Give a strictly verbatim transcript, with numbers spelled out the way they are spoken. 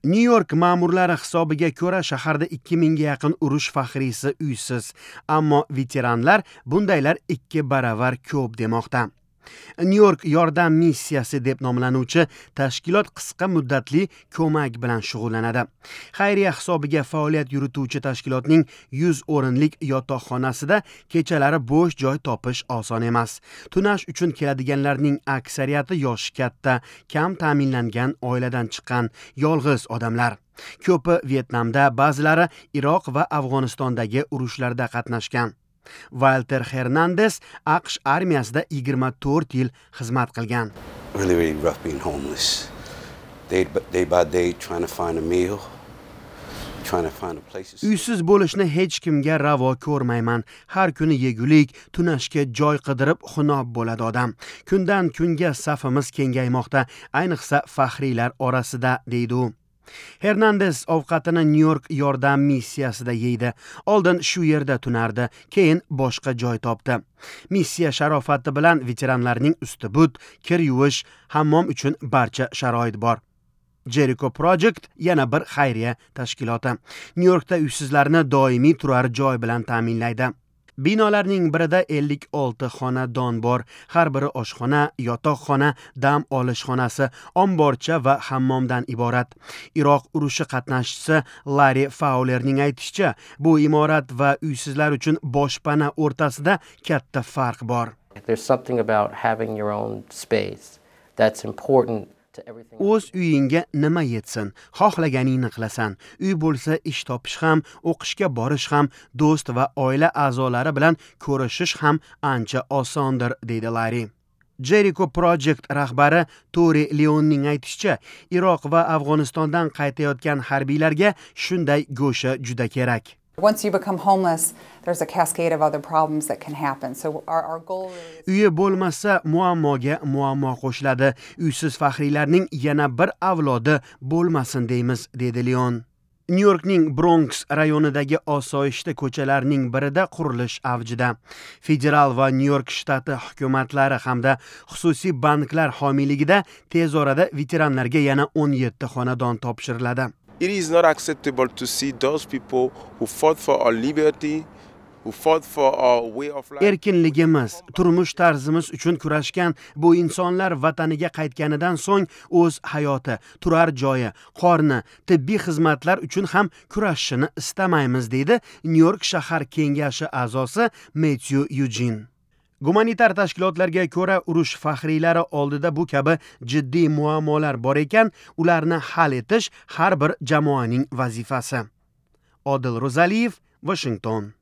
Nyu York ma'murlari hisobiga ko'ra, shaharda ikki mingga yaqin urush faxriysi uysiz, ammo veteranlar bundaylar ikki baravar ko'p demoqda. Nyu York yordam missiyasi deb nomlanuvchi tashkilot qisqa muddatli ko'mak bilan shug'ullanadi. Xayriya hisobiga faoliyat yurituvchi tashkilotning yuz o'rinlik yotoqxonasida kechalari bo'sh joy topish oson emas. Tunash uchun keladiganlarning aksariyati yoshi katta, kam ta'minlangan oiladan chiqqan yolg'iz odamlar. Ko'pi Vyetnamda, ba'zilari Iroq va Afg'onistondagi urushlarda qatnashgan. Walter Hernandez A Q Sh armiyasida yigirma to'rt yil xizmat qilgan. Really, really rough being homeless. Day, day by day trying to find a meal, trying to find a place to sleep. Uysiz bo'lishni hech kimga ravo ko'rmayman. Har kuni yegulik, tunashga joy qidirib xunob bo'ladi odam. Kundan kunga safimiz kengaymoqda, ayniqsa faxriylar orasida, deydi u. Hernandez ovqatini Nyu York yordam missiyasida yeydi. Oldin shu yerda tunardi, keyin boshqa joy topdi. Missiya sharofati bilan veteranlarning usti but, kir yuvish, hammom uchun barcha sharoit bor. Jericho Project yana bir xayriya tashkiloti. Nyu Yorkda uysizlarni doimiy turar joy bilan ta'minlaydi. Binolarning birida ellik olti xonadon bor. Har biri oshxona, yotoqxona, dam olish xonasi, omborcha va hammomdan iborat. Iroq urushi qatnashchisi Larry Fowlerning aytishicha, bu imorat va uysizlar uchun boshpana o'rtasida katta farq bor. There's something about having your own space that's important to everything. O'z uyingga nima yetsin, xohlaganingni qilasan. Uy bo'lsa ish topish ham, o'qishga borish ham, do'st va oila a'zolari bilan ko'rishish ham ancha osondir, deydi Larry. Jericho Project rahbari Tori Leonning aytishicha, Iroq va Afg'onistondan qaytayotgan harbiylarga shunday go'sha juda kerak. Once you become homeless, there's a cascade of other problems that can happen. So our, our goal really is Uyi bo'lmasa muammoga muammo qo'shiladi. Uysiz faxriylarning yana bir avlodi bo'lmasin deymiz, dedi Leon. Nyu Yorkning Bronx rayonidagi osoyishta ko'chalarning birida qurilish avjida. Federal va Nyu York shtati hukumatlari hamda xususiy banklar homiyligida tez orada veteranlarga yana o'n yetti xonadon topshiriladi. It is not acceptable to see those people who fought for our liberty, who fought for our way of life. Erkinligimiz, turmush tarzimiz uchun kurashgan bu insonlar vataniga qaytganidan so'ng o'z hayoti, turar joyi, qorni, tibbiy xizmatlar uchun ham kurashishini istamaymiz, deydi Nyu York shahar kengashi a'zosi Metyu Yujin. Gumanitar tashkilotlarga ko'ra, urush faxriylari oldida bu kabi jiddiy muammolar bor ekan, ularni hal etish har bir jamoaning vazifasi. Odil Ro'zaliyev, Washington.